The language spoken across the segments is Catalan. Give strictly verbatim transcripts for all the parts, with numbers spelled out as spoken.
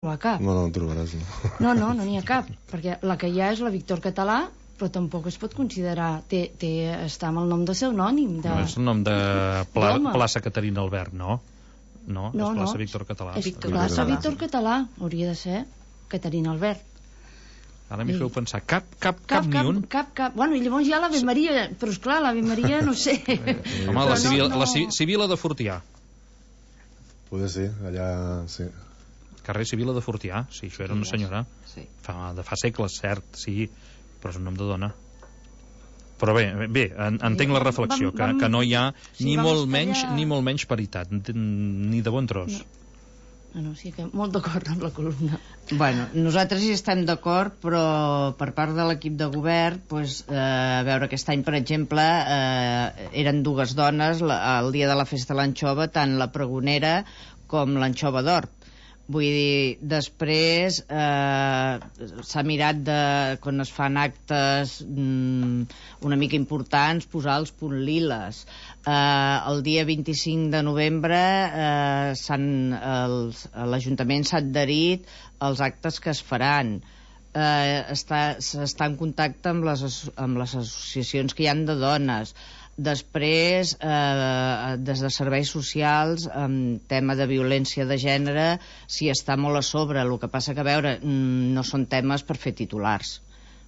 trobar cap. No, no en trobaràs, no. No, no, no n'hi ha cap, perquè la que hi ha és la Víctor Català, però tampoc es pot considerar, té, té, està amb el nom de pseudònim. De... No és el nom de Pla, plaça Caterina Albert, no? No, no és plaça no. Víctor Català. És Víctor plaça Català. Víctor Català, hauria de ser Caterina Albert. Ara m'hi feu pensar, cap, cap, cap, cap, ni un? Cap, cap, bueno, i llavors hi ha l'Ave Maria, però esclar, l'Ave Maria, no sé. Home, la, civil, no, no. la Sibila de Fortià. Poder ser, allà, sí. Carrer Sibila de Fortià, sí, això era una senyora. Sí. Fa, de fa segles, cert, sí, però és un nom de dona. Però bé, bé, en, entenc la reflexió, que, que no hi ha ni molt menys ni molt menys paritat, ni de bon tros. No. No, no, sí que molt d'acord amb la columna. Bueno, nosaltres hi estem d'acord, però per part de l'equip de govern, pues, eh, a veure, aquest any, per exemple, eh, eren dues dones la, el dia de la festa de l'anxova, tant la pregonera com l'anxova d'Hort. Vull dir, després eh, s'ha mirat de, quan es fan actes mm, una mica importants, posar els punt liles. Eh, el dia vint-i-cinc de novembre eh, l'Ajuntament s'ha adherit als actes que es faran. Eh, està, s'està en contacte amb les, amb les associacions que hi han de dones. Després, eh, des de serveis socials, en tema de violència de gènere, s'hi està molt a sobre. El que passa que, a veure, no són temes per fer titulars.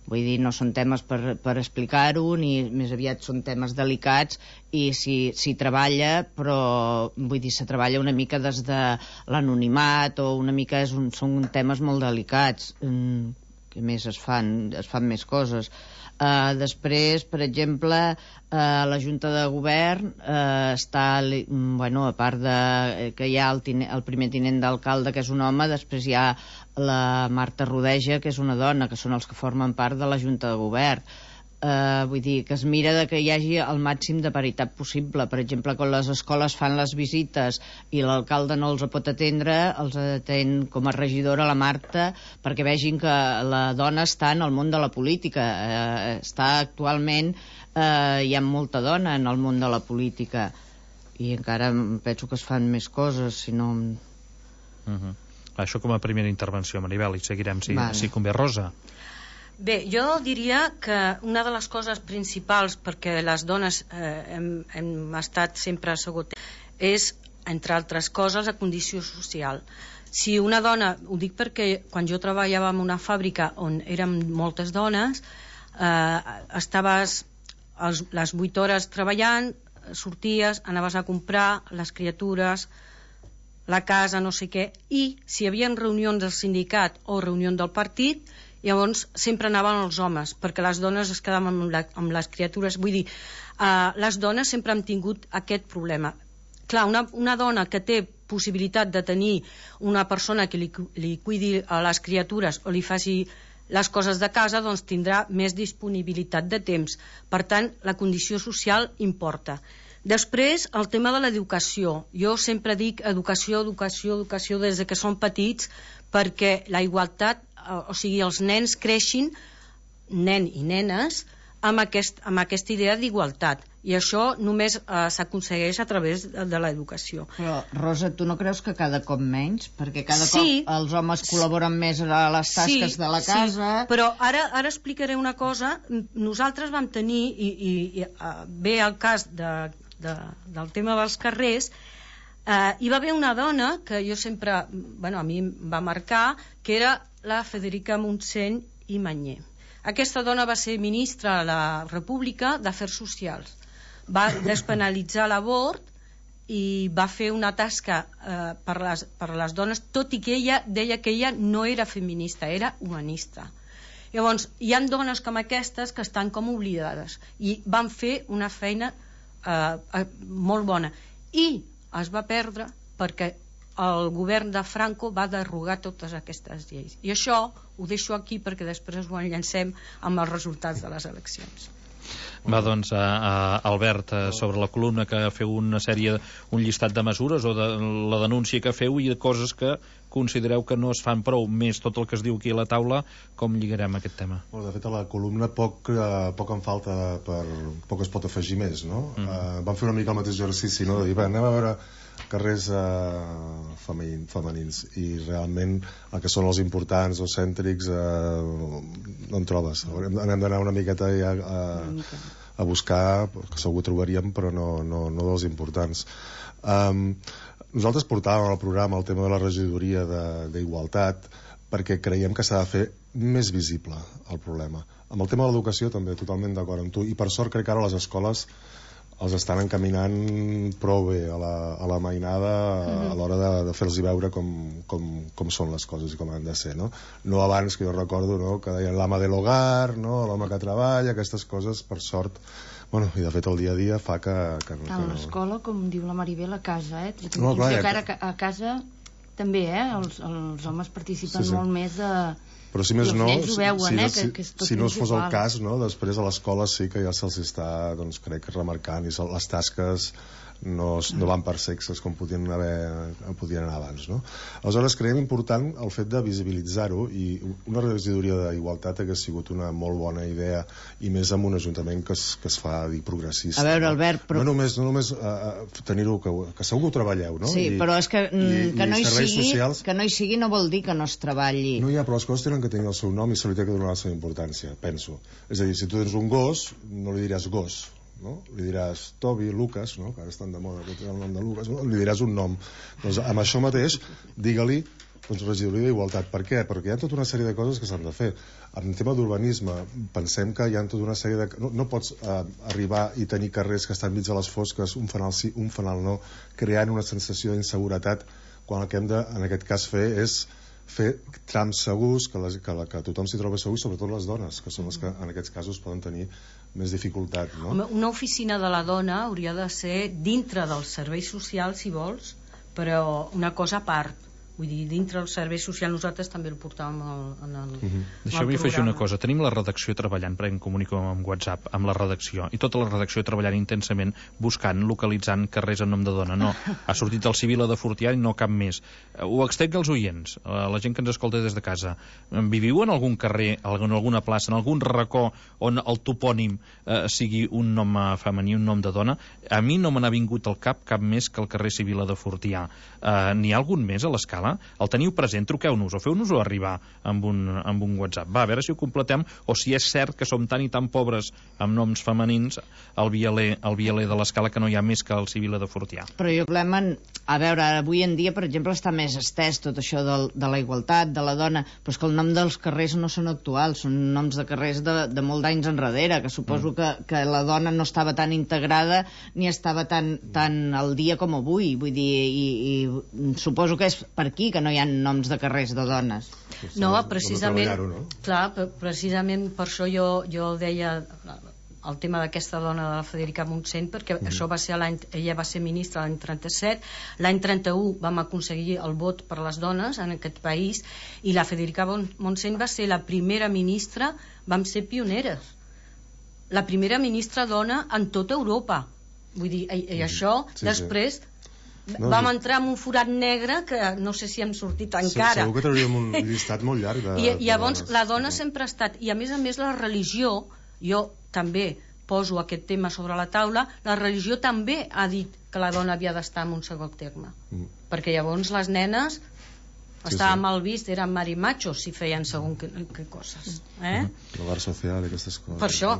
Vull dir, no són temes per, per explicar-ho, ni més aviat són temes delicats, i s'hi si treballa, però, vull dir, se treballa una mica des de l'anonimat, o una mica és un, són temes molt delicats. Mm, que més es fan? Es fan més coses. Uh, després, per exemple, uh, la Junta de Govern uh, està, bueno, a part de que hi ha el, tine, el primer tinent d'alcalde, que és un home, després hi ha la Marta Rodeja, que és una dona, que són els que formen part de la Junta de Govern. Uh, vull dir, que es mira de que hi hagi el màxim de paritat possible. Per exemple, quan les escoles fan les visites i l'alcalde no els pot atendre, els atén com a regidora la Marta, perquè vegin que la dona està en el món de la política. Uh, està actualment, uh, hi ha molta dona en el món de la política, i encara penso que es fan més coses, si no... Uh-huh. Això com a primera intervenció, Maribel, i seguirem si, vale. si convé. Rosa. Bé, jo diria que una de les coses principals perquè les dones eh, hem, hem estat sempre assegut és, entre altres coses, la condició social. Si una dona, ho dic perquè quan jo treballava en una fàbrica on érem moltes dones, eh, estaves els, les vuit hores treballant, sorties, anaves a comprar les criatures, la casa, no sé què, i si hi havia reunions del sindicat o reunió del partit, llavors sempre anaven els homes, perquè les dones es quedaven amb, la, amb les criatures. Vull dir, uh, les dones sempre han tingut aquest problema. Clar, una, una dona que té possibilitat de tenir una persona que li, li cuidi a les criatures o li faci les coses de casa, doncs tindrà més disponibilitat de temps. Per tant, la condició social importa. Després, el tema de l'educació. Jo sempre dic educació, educació, educació des que són petits, perquè la igualtat, o sigui, els nens creixin, nen i nenes, amb, aquest, amb aquesta idea d'igualtat. I això només eh, s'aconsegueix a través de, de l'educació. Però, Rosa, tu no creus que cada cop menys? Perquè cada sí, cop els homes col·laboren més a les tasques sí, de la casa... Sí, però ara, ara explicaré una cosa. Nosaltres vam tenir, i, i, i uh, ve el cas de, de, del tema dels carrers, uh, hi va haver una dona que jo sempre, bueno, a mi em va marcar, que era la Federica Montseny i Manyer. Aquesta dona va ser ministra a la República d'Afers Socials. Va despenalitzar l'avort i va fer una tasca eh, per, les, per les dones, tot i que ella deia que ella no era feminista, era humanista. Llavors, hi ha dones com aquestes que estan com oblidades i van fer una feina eh, eh, molt bona. I es va perdre perquè el govern de Franco va derogar totes aquestes lleis. I això ho deixo aquí perquè després ho enllancem amb els resultats de les eleccions. Va, doncs, a, a Albert, sobre la columna que feu una sèrie, un llistat de mesures o de la denúncia que feu i de coses que considereu que no es fan prou, més tot el que es diu aquí a la taula, com lligarem aquest tema? Bueno, de fet, a la columna poc, eh, poc en falta per... poc es pot afegir més, no? Mm. Eh, vam fer una mica el mateix exercici, no? De dir, va, anem a veure carrers eh, femenins, femenins i realment el que són els importants o cèntrics eh, no en trobes. Anem d'anar una miqueta ja a, a buscar, que segur trobaríem, però no, no, no dels importants. Um, nosaltres portàvem al programa el tema de la regidoria d'Igualtat perquè creiem que s'ha de fer més visible el problema. Amb el tema de l'educació també, totalment d'acord amb tu, i per sort crec que ara les escoles els estan encaminant prou bé a la, a la mainada mm-hmm. a l'hora de, de fer-los veure com, com, com són les coses i com han de ser, no? No abans, que jo recordo, no? Que deien l'ama de l'hogar, no? L'home que treballa, aquestes coses, per sort, bueno, i de fet el dia a dia fa que... que, que Tant no... l'escola, com diu la Maribel, a casa, eh? No, clar, que ara a casa també, eh? Els, els homes participen sí, sí. molt més de... Però si més no, ho veuen, si, eh, si, que, que és si no es fos el cas, no, després a l'escola sí que ja se'ls està, doncs, crec, remarcant i les tasques no, no van per sexes com podien, haver, podien anar abans, no? Aleshores creiem important el fet de visibilitzar-ho, i una regidoria d'Igualtat hagués sigut una molt bona idea, i més amb un ajuntament que es, que es fa dir progressista. A veure, Albert, però... no només, no només uh, tenir-ho, que, que segur que ho treballeu, no? Sí, I, però és que, i, que, no i hi sigui, socials... que no hi sigui no vol dir que no es treballi. No hi ha, però les coses tenen que tenir el seu nom i se li té que donar la seva importància, penso. És a dir, si tu tens un gos, no li diràs gos, no? Li diràs Toby, Lucas, no? Que ara estan de moda, que té el nom de Lucas, no? Li diràs un nom. Doncs amb això mateix, digue-li, doncs, regidoria d'Igualtat. Per què? Perquè hi ha tota una sèrie de coses que s'han de fer. En tema d'urbanisme, pensem que hi ha tota una sèrie de... No, no pots eh, arribar i tenir carrers que estan mig a les fosques, un fanal sí, un fanal no, creant una sensació d'inseguretat, quan el que hem de, en aquest cas, fer és fer trams segurs, que, les, que, la, que tothom s'hi trobi segur, sobretot les dones, que són les que en aquests casos poden tenir més dificultat, no? Home, una oficina de la dona hauria de ser dintre dels serveis socials, si vols, però una cosa a part. Vull dir, dintre del servei social nosaltres també el portàvem al, en el, uh-huh. Deixeu-me afegir una cosa. Tenim la redacció treballant, perquè em comunico amb WhatsApp, amb la redacció, i tota la redacció treballant intensament, buscant, localitzant carrers en nom de dona. No, ha sortit el Civil de Fortià i no cap més. Ho extenc als oients, a la gent que ens escolta des de casa. Viviu en algun carrer, en alguna plaça, en algun racó on el topònim eh, sigui un nom femení, un nom de dona? A mi no me n'ha vingut al cap cap més que el carrer Civil de Fortià. Eh, N'hi ha algun més a l'escala? El teniu present, truqueu-nos o feu-nos-ho arribar amb un, amb un WhatsApp. Va, a veure si ho completem, o si és cert que som tan i tan pobres amb noms femenins al vialer, al vialer de l'escala, que no hi ha més que el Civil de Fortià. Però jo problema, a veure, avui en dia, per exemple, està més estès tot això de, de la igualtat, de la dona, però és que el nom dels carrers no són actuals, són noms de carrers de, de molt d'anys enrere, que suposo mm. que, que la dona no estava tan integrada ni estava tan, tan al dia com avui, vull dir, i, i suposo que és per aquí que no hi ha noms de carrers de dones. No, precisament, no? Clar, precisament per això jo, jo deia el tema d'aquesta dona de la Federica Montseny, perquè mm. això va ser l'any, ella va ser ministra l'any trenta-set, l'any trenta-u vam aconseguir el vot per les dones en aquest país, i la Federica Montseny va ser la primera ministra, vam ser pioneres, la primera ministra dona en tota Europa. Vull dir, i, i això sí, després sí. No, vam entrar en un forat negre que no sé si hem sortit encara. Segur que trauríem un llistat molt llarg de, I, i llavors de la dona sempre ha estat, i a més a més la religió, jo també poso aquest tema sobre la taula, la religió també ha dit que la dona havia d'estar en un segon terme, mm. perquè llavors les nenes sí, estava sí. mal vist, eren marimachos si feien segon que, que coses, eh? L'hogar social i aquestes coses. Per això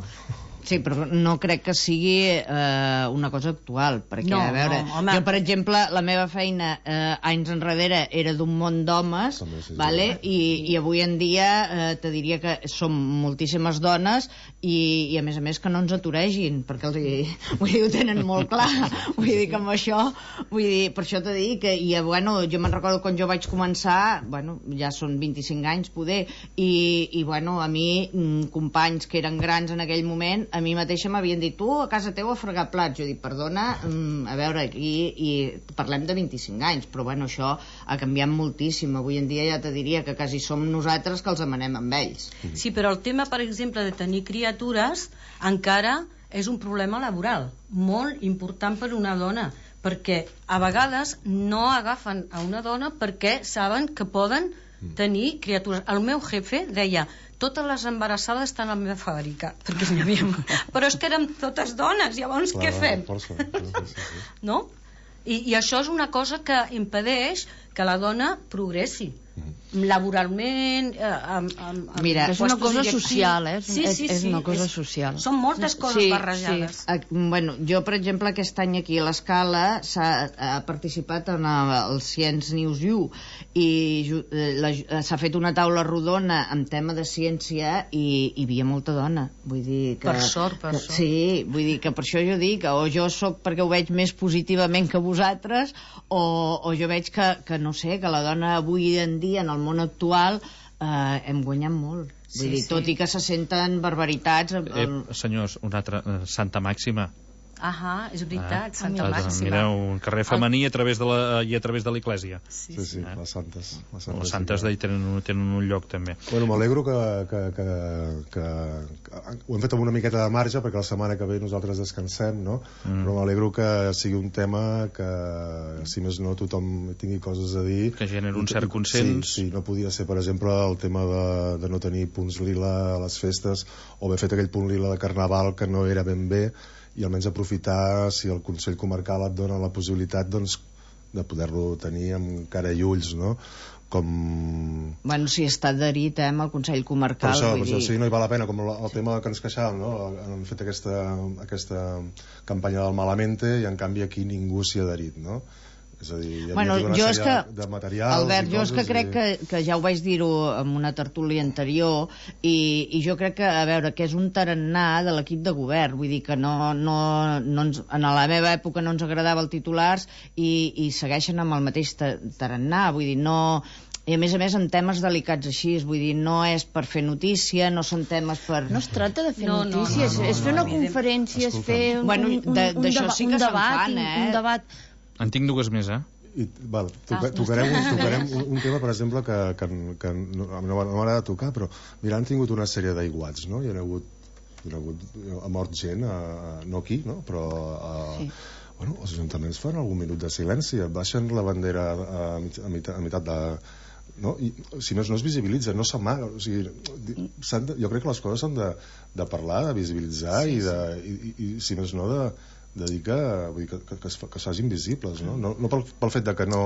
Sí, però no crec que sigui eh, una cosa actual, perquè, no, a veure, no, home. jo, per exemple, la meva feina eh, anys enrere era d'un munt d'homes, sí, vale? I, i avui en dia eh, te diria que som moltíssimes dones i, i a més a més que no ens aturegin, perquè els, vull dir, ho tenen molt clar, vull dir que amb això, vull dir, per això t'he dit que, i bueno, jo me'n recordo quan jo vaig començar, bueno, ja són vint-i-cinc anys poder, i, i bueno, a mi, companys que eren grans en aquell moment, a mi mateixa m'havien dit, tu a casa teu a fregar plats. Jo dic, perdona, a veure, aquí i parlem de vint-i-cinc anys, però bueno, això ha canviat moltíssim. Avui en dia ja te diria que quasi som nosaltres que els emanem amb ells. Sí, però el tema, per exemple, de tenir criatures encara és un problema laboral molt important per una dona, perquè a vegades no agafen a una dona perquè saben que poden tenir criatures. El meu jefe deia: totes les embarassades estan a la meva fàbrica, perquè n'hi havia... però és que érem totes dones, llavors Clar, què fem? Força, sí, sí, sí. No? I, I això és una cosa que impedeix que la dona progressi laboralment, eh, amb, amb, amb Mira, és una puestos cosa directius. social, eh? Sí, sí, és sí, una cosa és, social. Són moltes coses Sí, barrejades. A, bueno, jo, per exemple, aquest any aquí a l'Escala s'ha ha participat en el, el Science News U i ju- eh, la- s'ha fet una taula rodona amb tema de ciència i hi havia molta dona. Vull dir que, Per sort, per que, sort. Sí, vull dir que per això jo dic o jo sóc perquè ho veig més positivament que vosaltres o, o jo veig que, que, no sé, que la dona avui en dia en el món actual eh, hem guanyat molt. Vull Sí, dir, sí. tot i que se senten barbaritats... El, Eh, senyors, una altra... eh, Santa Màxima. Ahà, és veritat, Ah, Santa ah, Màxima. Mireu, un carrer femení a través de la, i a través de l'església. Sí, Sí, sí, Eh? les santes. Les santes, Les santes sí que- d'ahir tenen, un- tenen un lloc també. Bueno, m'alegro que, que, que, que, que ho hem fet amb una miqueta de marge perquè la setmana que ve nosaltres descansem, no? Mm. Però m'alegro que sigui un tema que, si més no, tothom tingui coses a dir. Que generi un I- cert i- consens. Sí, sí, no podia ser, per exemple, el tema de, de no tenir punts lila a les festes o haver fet aquell punt lila de carnaval que no era ben bé, i almenys aprofitar, si el Consell Comarcal et dona la possibilitat, doncs, de poder-lo tenir amb cara i ulls, no? Com... Bueno, si està adherit eh, amb el Consell Per Comarcal, això, per vull això dir... sí, no hi val la pena, com el, el tema que ens queixàvem, no? Han fet aquesta, aquesta campanya del Malamente i en canvi aquí ningú s'hi ha adherit, no? És a dir, hi havia Bueno, tota una jo és sèrie que, de materials Albert, i jo és que coses crec i... que, que ja ho vaig dir-ho en una tertúlia anterior i, i jo crec que, a veure, que és un tarannà de l'equip de govern, vull dir que no, no, no ens, en la meva època no ens agradava el titulars i, i segueixen amb el mateix ta- tarannà, vull dir, no... I a més a més en temes delicats així, vull dir, no és per fer notícia, no són temes per... No es tracta de fer No, no, notícies, no, no, és fer no, una no. conferència, és fer un, Bueno, un, un, de- un, d'això deba sí que un se'n debat, fan, un- eh? un debat... En tinc dues més, eh? I, val, toca, Ah, tocarem, un, tocarem un, un tema, per exemple, que, que, que no, no m'ha- no m'agrada tocar, però mira, han tingut una sèrie d'aiguats, no? Hi ha hagut, hi ha hagut ha mort gent, a, a, no aquí, no? Però a, Sí. bueno, els ajuntaments fan algun minut de silenci, baixen la bandera a, mit, a, mit, a meitat de... No? I, si més no es visibilitza, no s'amaga, o sigui, di- s'han de, jo crec que les coses s'han de, de parlar, de visibilitzar sí, i, de, i, i, i si més no de, de dir que, vull dir, que, que, que, es, fa- que es facin visibles, no, no, no pel, pel fet de que no,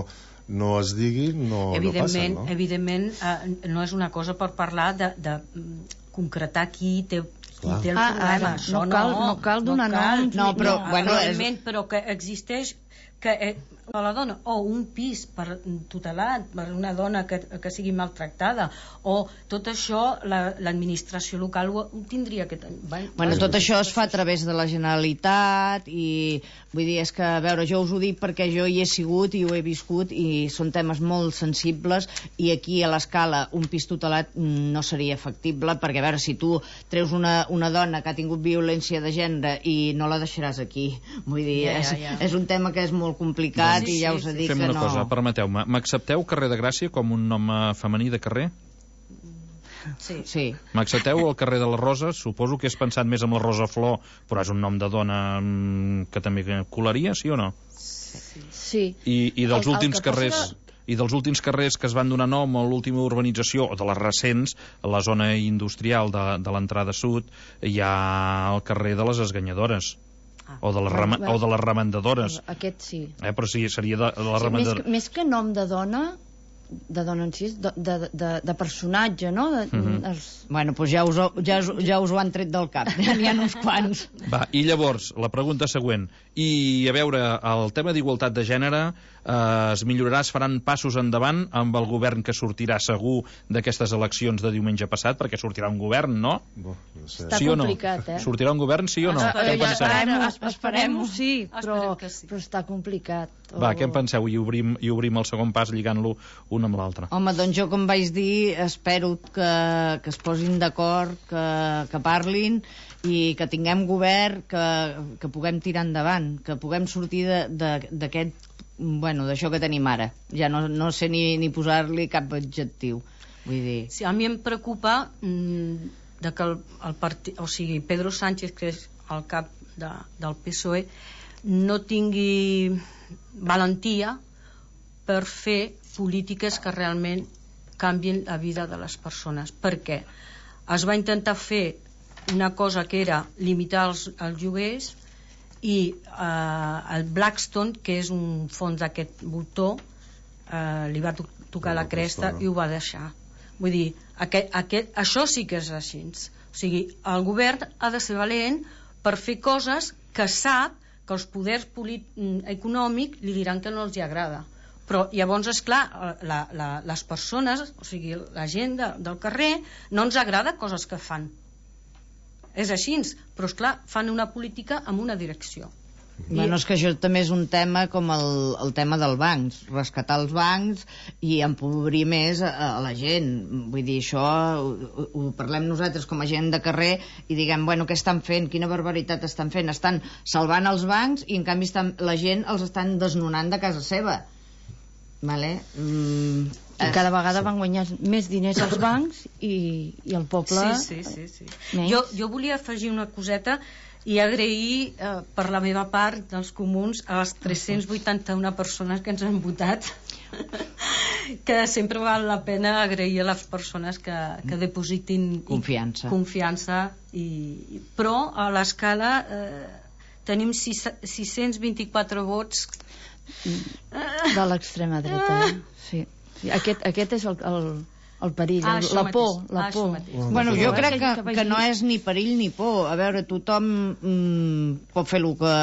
no es digui no, no evidentment, passen, no? evidentment eh, no és una cosa per parlar de, de mm, concretar qui té, qui Clar. té el Ah, problema. ara, Això no cal- no cal donar noms, No, però, no, bueno, és- evidentment, però que existeix que eh, a la dona, o un pis per tutelat per una dona que, que sigui maltractada, o tot això la- l'administració local ho, ho tindria que tenir. Bueno, tot això es fa a través de la Generalitat i vull dir, és que, a veure, jo us ho dic perquè jo hi he sigut i ho he viscut i són temes molt sensibles i aquí a l'Escala un pis tutelat no seria factible perquè, a veure, si tu treus una, una dona que ha tingut violència de gènere i no la deixaràs aquí, vull dir, Ja, ja, és, ja. és un tema que és molt complicat Sí, i ja sí, us he sí. dit Fem que una no... cosa, permeteu-me. M'accepteu Carrer de Gràcia com un nom eh, femení de carrer? Sí. Sí. M'accepteu el carrer de la Rosa? Suposo que és pensat més amb la Rosa Flor, però és un nom de dona mm, que també colaria, sí o no? Sí. I, i dels El- el últims que passa carrers... I dels últims carrers que es van donar nom a l'última urbanització, o de les recents, a la zona industrial de, de l'entrada sud, hi ha el carrer de les Esganyadores. Ah. O de les, rema, o de les remendadores. Aquest sí. Eh, però sí, seria de, de les Sí, més, remendadores. que, més que nom de dona, de dona en si, de, de, de, de personatge, no? De, Mhm. els... Bueno, doncs ja us, ho- ja, us, ja us ho han tret del cap, ja n'hi ha uns quants. Va, i llavors, la pregunta següent. I, a veure, el tema d'igualtat de gènere eh, es millorarà, es faran passos endavant amb el govern que sortirà segur d'aquestes eleccions de diumenge passat, perquè sortirà un govern, no? Bo, no sé. Està sí o no? complicat, eh? Sortirà un govern, sí o no? Ah, Què en ja penseu? esperem. Esperem-ho, esperem-ho, sí, però, Esperem que sí. però està complicat. Va, O- què en penseu? I obrim, i obrim el segon pas lligant-lo un amb l'altre. Home, doncs jo, com vaig dir, espero que, que es posin d'acord, que, que parlin i que tinguem govern, que, que puguem tirar endavant, que puguem sortir de- de- d'aquest, bueno, d'això que tenim ara. Ja no, no sé ni, ni posar-li cap adjectiu. Vull dir... Sí, a mi em preocupa mm, de que el, el partit, o sigui, Pedro Sánchez, que és el cap de, del P S O E, no tingui valentia per fer polítiques que realment canvien la vida de les persones. Per què? Es va intentar fer una cosa que era limitar els, els lloguers, i eh, el Blackstone, que és un fons d'aquest voltor, eh, li va to tocar la cresta i ho va deixar. Vull dir, aquest, aquest, això sí que és així. O sigui, el govern ha de ser valent per fer coses que sap que els poders econòmics li diran que no els hi agrada. Però llavors, esclar, la, la, les persones, o sigui, la gent de, del carrer, no ens agrada coses que fan. És així, però esclar, fan una política amb una direcció. Bueno, és que això també és un tema com el, el tema dels bancs, rescatar els bancs i empobrir més a, a la gent. Vull dir, això ho, ho parlem nosaltres com a gent de carrer i diguem, bueno, què estan fent? Quina barbaritat estan fent? Estan salvant els bancs i en canvi estan, la gent els estan desnonant de casa seva. Vale? Mm, I cada vegada van guanyar més diners als bancs i, i el poble... Sí, sí, sí, sí. Jo, jo volia afegir una coseta i agrair eh, per la meva part dels comuns a les tres-cents vuitanta-una persones que ens han votat, que sempre val la pena agrair a les persones que, que depositin confiança, confiança i, però a l'escala eh, tenim sis-cents vint-i-quatre vots de l'extrema dreta. Sí. Sí, aquest, aquest és el, el, el perill, ah, la por, la ah, por. Bueno, jo crec que, que no és ni perill ni por. A veure, tothom mm, pot fer el que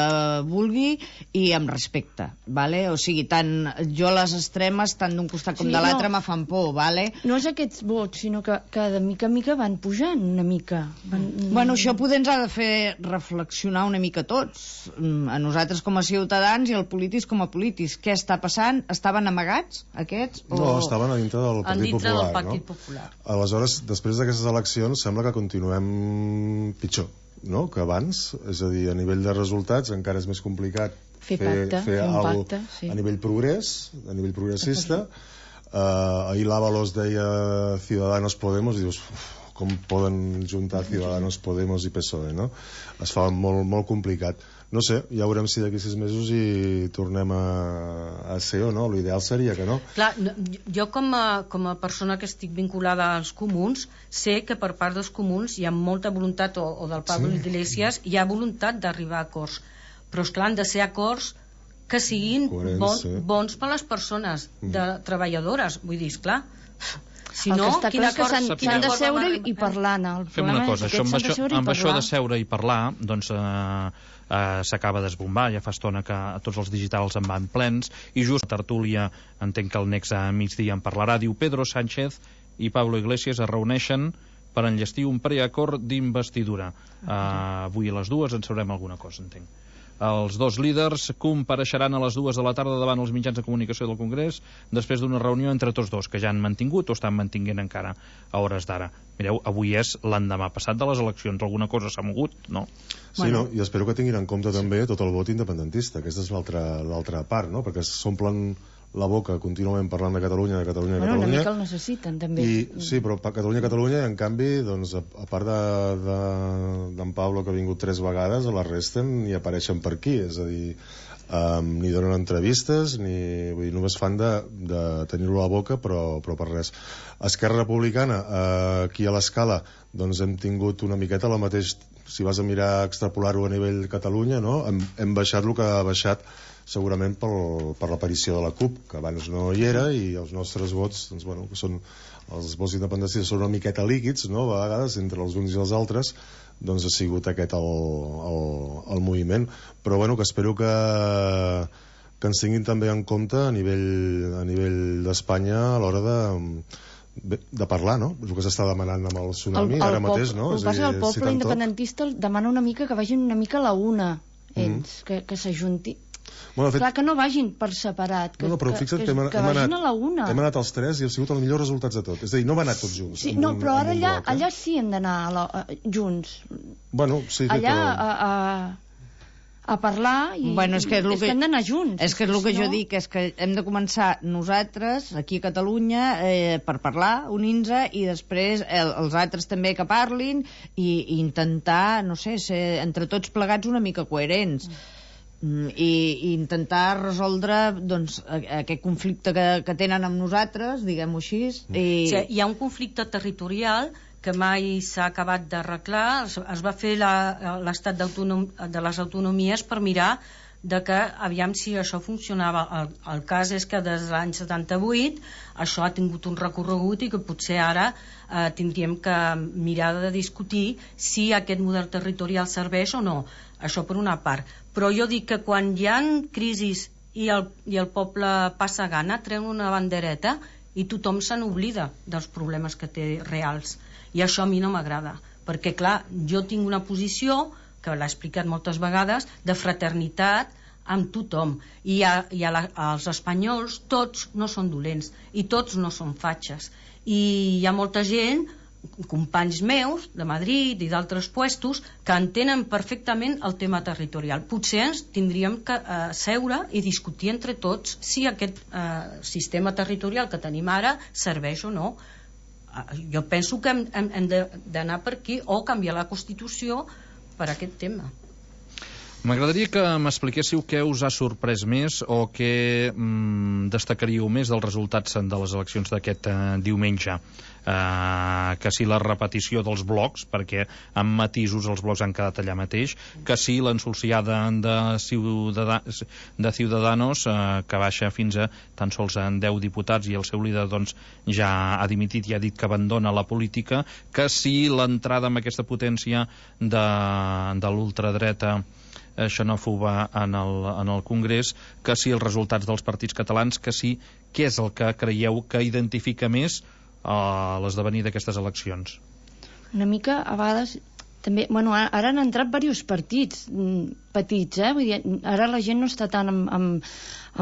vulgui i amb respecte, vale? O sigui, tant jo les extremes, tant d'un costat com sí, de l'altre, no, me fan por, vale? No és aquests vots, sinó que, que de mica en mica van pujant una mica. Van... Bueno, això poder ens ha de fer reflexionar una mica tots, a nosaltres com a ciutadans i els polítics com a polítics. Què està passant? Estaven amagats, aquests? O... No, estaven a dintre del Partit dintre Popular. Del Partit Popular. No? Aleshores, després d'aquestes eleccions sembla que continuem pitjor, no?, que abans. És a dir, a nivell de resultats encara és més complicat fer, pacte, fer, fer fer alguna pacte, sí. A nivell progrés, a nivell progressista. Uh, ahir l'Ábalos deia Ciudadanos Podemos i dius, uf, com poden juntar Ciudadanos Podemos i P S O E, no? Es fa molt, molt complicat. No sé, ja veurem si d'aquí sis mesos hi tornem a, a ser o no. L'ideal seria que no. Clar, jo com a, com a persona que estic vinculada als comuns, sé que per part dels comuns hi ha molta voluntat, o, o del Pablo sí. Iglesias, hi ha voluntat d'arribar a acords. Però, esclar, han de ser acords que siguin bon, bons per a les persones de treballadores. Vull dir, esclar... Si el no, que està clar és que s'han de seure i parlar. No? Fem una cosa, això, amb, això, amb això de seure i parlar, doncs eh, eh, s'acaba d'esbombar, ja fa estona que tots els digitals en van plens, i just a tertúlia, entenc que el Nex a migdia en parlarà, diu Pedro Sánchez i Pablo Iglesias es reuneixen per enllestir un preacord d'investidura. Eh, avui a les dues en sabrem alguna cosa, entenc. Els dos líders compareixeran a les dues de la tarda davant els mitjans de comunicació del Congrés després d'una reunió entre tots dos, que ja han mantingut o estan mantinguent encara a hores d'ara. Mireu, avui és l'endemà passat de les eleccions. Alguna cosa s'ha mogut, no? Sí, bueno. No? I espero que tinguin en compte també tot el vot independentista. Aquesta és l'altra part, no? Perquè s'omplen la boca contínuament parlant de Catalunya, de Catalunya, de bueno, Catalunya. Una mica el necessiten, també. I, sí, però Catalunya, Catalunya, en canvi, doncs, a, a part d'en de, de, Pablo, que ha vingut tres vegades, a la resta ni apareixen per aquí. És a dir, um, ni donen entrevistes, ni vull dir, només fan de, de tenir-ho a la boca, però, però per res. Esquerra Republicana, eh, aquí a l'escala, doncs hem tingut una miqueta la mateix, si vas a mirar, extrapolar-ho a nivell Catalunya, no? Hem, hem baixat el que ha baixat segurament pel, per l'aparició de la CUP, que abans no hi era, i els nostres vots, doncs, bueno, que són els vots independentistes són una miqueta líquids, no?, a vegades, entre els uns i els altres, doncs ha sigut aquest el, el, el moviment. Però, bueno, que espero que, que ens tinguin també en compte a nivell, a nivell d'Espanya a l'hora de... de parlar, no? És el que s'està demanant amb el tsunami, el, el ara pop, mateix, no? El, dir, el poble si independentista demana una mica que vagin una mica a la una, ells, mm. que, que s'ajunti. Bueno, fet... Clar, que no vagin per separat, que, no, no, però fixa't que, que, hem, que hem vagin anat, a la una. Hem anat els tres i ha sigut els millors resultats de tot. És a dir, no hem anat tots junts. Sí, no, un, però ara allà, bloc, eh? allà sí hem d'anar junts. Bueno, sí, allà a, a, a parlar i, bueno, és que, és és que hem d'anar junts. És que és el que jo dic, és que hem de començar nosaltres, aquí a Catalunya, eh, per parlar, unir-nos, i després el, els altres també que parlin, i, i intentar, no sé, ser entre tots plegats una mica coherents. Mm. i, i intentar resoldre doncs, aquest conflicte que, que tenen amb nosaltres, diguem-ho així. I... Sí, hi ha un conflicte territorial que mai s'ha acabat d'arreglar. Es, es va fer l'estat de les autonomies per mirar de que aviam si això funcionava. El, el cas és que des de l'any setanta-vuit això ha tingut un recorregut i que potser ara eh, tindríem que mirar de discutir si aquest model territorial serveix o no. Això per una part. Però jo dic que quan hi ha crisis i el, i el poble passa gana, treuen una bandereta i tothom se n'oblida dels problemes que té reals. I això a mi no m'agrada. Perquè, clar, jo tinc una posició que l'ha explicat moltes vegades, de fraternitat amb tothom. I, a, i a la, als espanyols tots no són dolents i tots no són fatxes. I hi ha molta gent, companys meus de Madrid i d'altres puestos, que entenen perfectament el tema territorial. Potser ens tindríem que eh, seure i discutir entre tots si aquest eh, sistema territorial que tenim ara serveix o no. Eh, jo penso que hem, hem, hem d'anar per aquí o canviar la Constitució per aquest tema. M'agradaria que m'expliquéssiu què us ha sorprès més o què mm, destacaríeu més dels resultats de les eleccions d'aquest eh, diumenge. Uh, que si la repetició dels blocs, perquè amb matisos els blocs han quedat allà mateix, que si l'ensolciada de, Ciudad de Ciudadanos, uh, que baixa fins a tan sols en deu diputats i el seu líder doncs, ja ha dimitit i ha dit que abandona la política, que si l'entrada amb aquesta potència de, de l'ultradreta xenòfoba en el, en el Congrés, que si els resultats dels partits catalans, que si què és el que creieu que identifica més a l'esdevenir d'aquestes eleccions? Una mica, a vegades, també, bueno, ara han entrat diversos partits petits, eh? Vull dir, ara la gent no està tant amb, amb,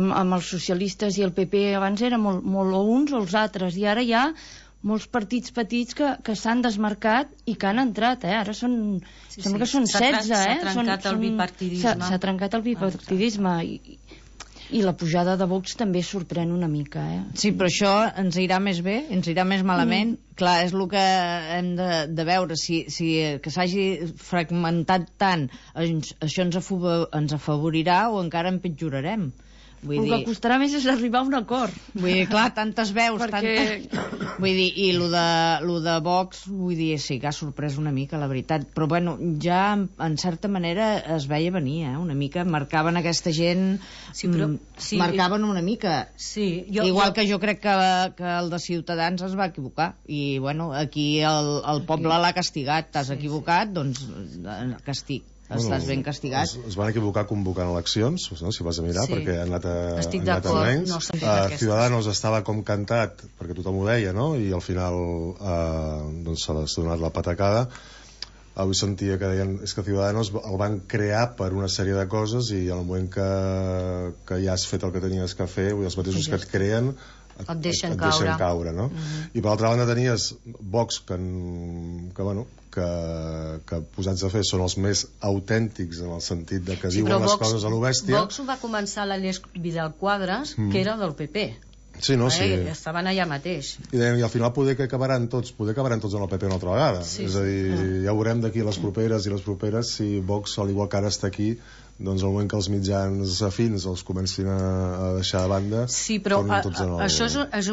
amb, amb els socialistes i el P P, abans era molt, molt o uns o els altres, i ara hi ha molts partits petits que, que s'han desmarcat i que han entrat, eh? Ara són, sí, sembla sí. que són setze, eh? S'ha trencat són, el bipartidisme. S'ha trencat el bipartidisme i, i la pujada de Vox també sorprèn una mica, eh? Sí, però això ens irà més bé, ens irà més malament. Mm. Clar, és el que hem de, de veure, si, si que s'hagi fragmentat tant, ens, això ens, afavo, ens afavorirà o encara empitjorarem. Vull el dir... que costarà més és arribar a un acord. Vull dir, clar, tantes veus, perquè... tantes... Vull dir, i lo de, lo de Vox, vull dir, sí que ha sorprès una mica, la veritat. Però, bueno, ja, en certa manera, es veia venir, eh? Una mica, marcaven aquesta gent... Sí, però... Sí, marcaven una mica. Sí, jo, Igual jo... que jo crec que, que el de Ciutadans es va equivocar. I, bueno, aquí el, el poble l'ha castigat. T'has sí, equivocat, sí. Doncs, castig. Bueno, estàs ben castigat. Es, es van equivocar convocant eleccions, no? Si vas a mirar, sí. Perquè han anat a, Estic han anat a menys. No uh, Ciudadanos estava com cantat, perquè tothom ho deia, no? I al final uh, doncs s'ha donat la patacada. Avui sentia que deien és que Ciudadanos el van crear per una sèrie de coses i al moment que, que ja has fet el que tenies que fer, els mateixos sí, que et creen et, et deixen et, et caure, deixen caure no? Uh-huh. I per l'altra banda tenies Vox que, que bueno que, que posats a fer són els més autèntics en el sentit de que sí, diuen les Vox, coses a lo bèstia. Vox ho va començar l'Àlex Vidal Quadras, mm. que era del P P. Sí, no, sí. Eh, estaven allà mateix. I, deien, i al final poder que acabaran tots, poder acabaran tots en el P P una altra vegada. Sí, és a dir, sí. Ja ho veurem d'aquí les properes i les properes si Vox, al igual que ara està aquí, doncs al moment que els mitjans afins els comencin a, a deixar de banda, sí, però a, a, el... això és, és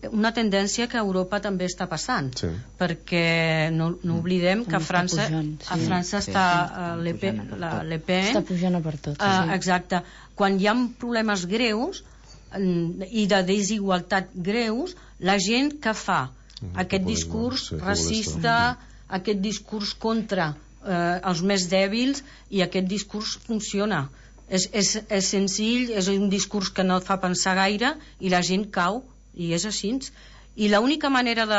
una tendència que a Europa també està passant, sí. Perquè no, no oblidem que a França, pujant, sí. a França sí, està sí, sí, Le Pen, la Le Pen està pujant a per tot. Uh, sí. Exacte. Quan hi ha problemes greus i de desigualtat greus, la gent que fa mm, aquest discurs sí, racista, aquest discurs contra eh, els més dèbils, i aquest discurs funciona. És, és, és senzill, és un discurs que no et fa pensar gaire i la gent cau, i és així. I l'única manera de,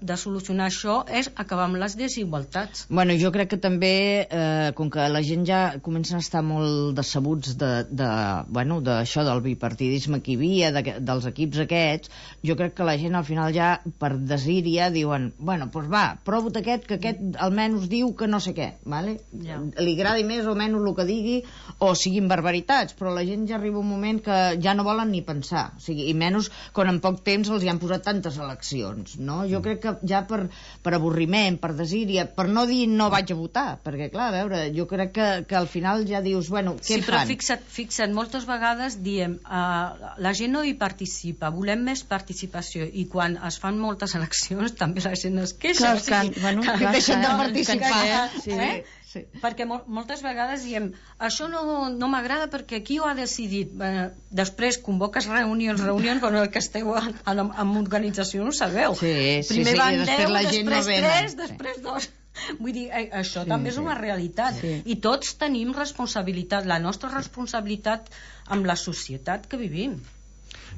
de solucionar això és acabar amb les desigualtats. Bueno, jo crec que també, eh, com que la gent ja comencen a estar molt decebuts de, de, bueno, d'això del bipartidisme que hi havia, de, dels equips aquests, jo crec que la gent al final ja, per desíria, diuen, bueno, doncs va, prova't aquest, que aquest almenys diu que no sé què, vale? Ja. Li agradi més o menys el que digui, o siguin barbaritats, però la gent ja arriba un moment que ja no volen ni pensar, o sigui, i menys quan en poc temps els hi han posat tantes eleccions, no? Jo crec que ja per, per avorriment, per desídia, per no dir no vaig a votar, perquè clar, a veure, jo crec que, que al final ja dius, bueno, què sí, fan? Sí, però fixa't, fixa't, moltes vegades diem uh, la gent no hi participa, volem més participació, i quan es fan moltes eleccions també la gent es queixa. Clar, o sigui, que, bueno, que, clar, deixen de participar. Que, sí. Eh? Sí. Perquè mol moltes vegades diem això no, no m'agrada perquè qui ho ha decidit. Eh, després convoques reunions, reunions, bueno, el que esteu en, en, en organització no ho sabeu. Sí, sí, primer sí, van deu, la gent després no tres, després dos. Vull dir, eh, això sí, també és una realitat. Sí. I tots tenim responsabilitat, la nostra responsabilitat amb la societat que vivim.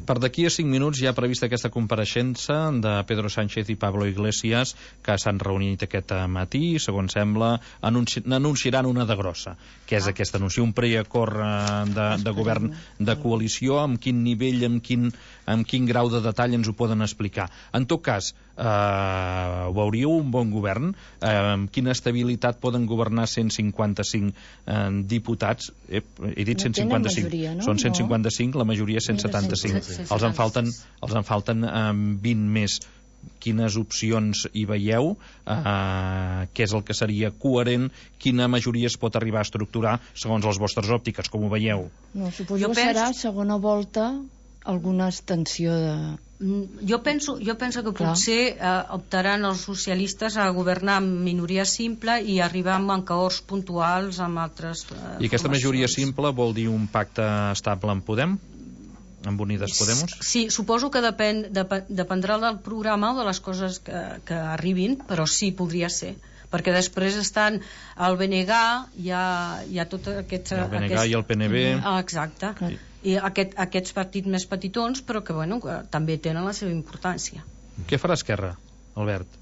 Per d'aquí a cinc minuts hi ha prevista aquesta compareixença de Pedro Sánchez i Pablo Iglesias, que s'han reunit aquest matí, segons sembla, anunci anunciaran una de grossa, que és aquest anunci, un preacord de, de govern de coalició, amb quin nivell, amb quin, amb quin grau de detall ens ho poden explicar. En tot cas, eh, veuríeu un bon govern? Eh, amb quina estabilitat poden governar cent cinquanta-cinc eh, diputats? Eh, he dit cent cinquanta-cinc, majoria, no? són cent cinquanta-cinc, la majoria cent setanta-cinc. Els en falten, els en falten um, vint més. Quines opcions hi veieu? Uh, què és el que seria coherent? Quina majoria es pot arribar a estructurar segons les vostres òptiques? Com ho veieu? No, suposo Jo que penso... serà segona volta alguna extensió de... Jo penso, jo penso que Clar. potser eh, optaran els socialistes a governar amb minoria simple i arribar amb acords puntuals amb altres eh, I aquesta majoria formacions. simple vol dir un pacte estable amb Podem? Amb Unides Podemos? Sí, suposo que depèn, dep dependrà del programa o de les coses que, que arribin, però sí, podria ser. Perquè després estan el B N G, hi ha, hi ha tot aquest... El B N G aquest... i el P N B. Ah, exacte. Sí. I aquest, aquests partits més petitons, però que, bueno, que també tenen la seva importància. Què farà Esquerra, Albert?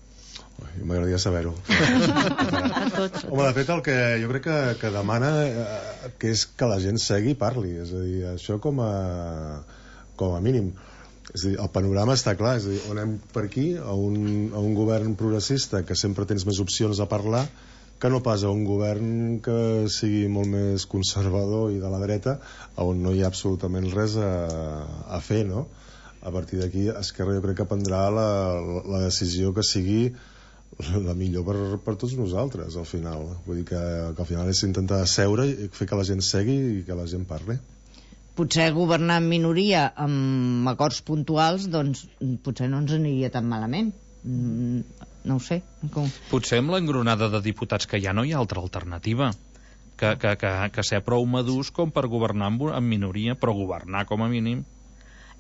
M'agradaria saber-ho. Home, de fet, el que jo crec que, que demana eh, que és que la gent segui i parli. És a dir, això com a, com a mínim. És a dir, el panorama està clar. És a dir, on anem per aquí, a un, a un govern progressista que sempre tens més opcions a parlar que no pas a un govern que sigui molt més conservador i de la dreta, on no hi ha absolutament res a, a fer, no? A partir d'aquí, Esquerra jo crec que prendrà la, la decisió que sigui la millor per, per tots nosaltres, al final. Vull dir que, que al final és intentar seure i fer que la gent segui i que la gent parli. Potser governar en minoria amb acords puntuals, doncs potser no ens aniria tan malament. Mm, no ho sé. Com... Potser amb l'engronada de diputats que ja no hi ha altra alternativa. Que, que, que, que ser prou madurs com per governar en, en minoria, però governar com a mínim.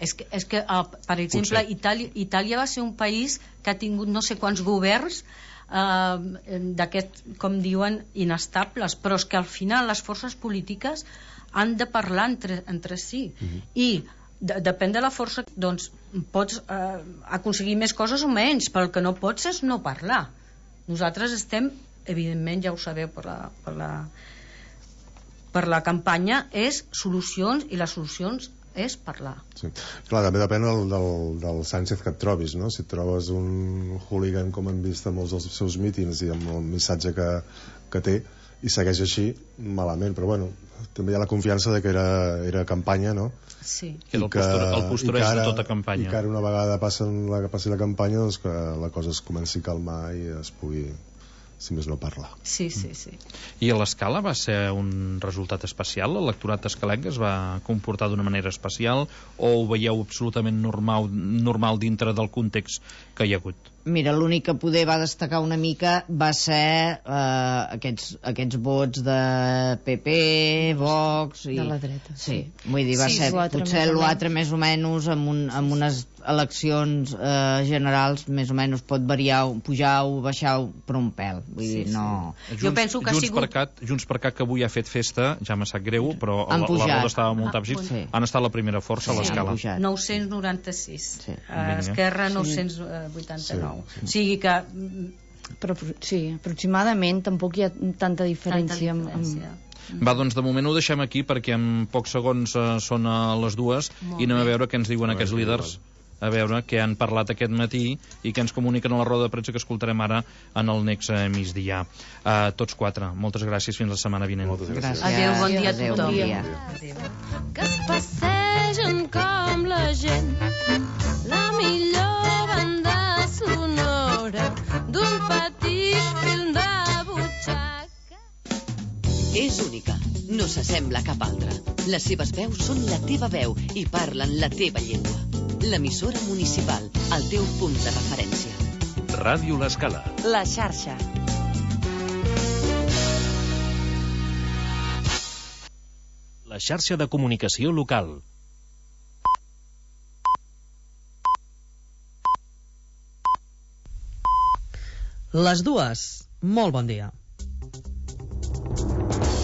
És que, és que uh, per exemple, Itàlia, Itàlia va ser un país que ha tingut no sé quants governs uh, d'aquest, com diuen, inestables, però és que al final les forces polítiques han de parlar entre, entre si. Uh-huh. I de, depèn de la força, doncs pots uh, aconseguir més coses o menys, però el que no pots és no parlar. Nosaltres estem, evidentment, ja ho sabeu per la, per la, per la campanya, és solucions, i les solucions és parlar. Sí. Clar, també depèn del, del, del Sánchez que et trobis, no? Si et trobes un hooligan com hem vist en molts dels seus mítings i amb el missatge que, que té i segueix així, malament, però bueno, també hi ha la confiança de que era, era campanya, no? Sí. Que era el, postura, el postureix de tota campanya. I que ara una vegada passen la, passi la campanya, doncs que la cosa es comenci a calmar i es pugui, si més no, parlar. Sí, sí, sí. I a l'Escala va ser un resultat especial? L'electorat escalenc es va comportar d'una manera especial o ho veieu absolutament normal, normal dintre del context que hi ha hagut? Mira, l'únic que poder va destacar una mica va ser eh, aquests, aquests vots de P P, Vox i... De la dreta, sí. sí. Vull dir, va Sí, ser potser l'altre més o menys amb, un, amb unes eleccions eh, generals més o menys pot variar, pujar o baixar per un pèl. Vull Sí, dir, no... sí. Jo penso que ha Junts sigut- per Cat, Junts per Cat, que avui ha fet festa, ja m'ha sap greu, però Han la, la pujat. roda estava molt Ah, àpsid, sí. han estat la primera força a Sí, l'Escala. han pujat. nou-cents noranta-sis. Sí. Uh, Esquerra nou-cents vuitanta-nou. Sí, sí. O sigui que Però sí, aproximadament tampoc hi ha tanta diferència. tanta diferència. Amb, Va, doncs de moment ho deixem aquí perquè en pocs segons eh, són a les dues Molt i anem bé. a veure què ens diuen Molt aquests bé, líders, a veure què han parlat aquest matí i què ens comuniquen a la roda de premsa que escoltarem ara en el next eh, migdia. Uh, tots quatre, moltes gràcies, fins la setmana vinent. Moltes gràcies. Gràcies. Adéu, bon dia a Adéu, tothom. bon dia. Adéu. que es passegen com la gent, la millor banda d'un petit film de butxaca. És única, no s'assembla a cap altra. Les seves veus són la teva veu i parlen la teva llengua. L'emissora municipal, el teu punt de referència. Ràdio L'Escala. La xarxa. La xarxa de comunicació local. Les dues. Molt bon dia.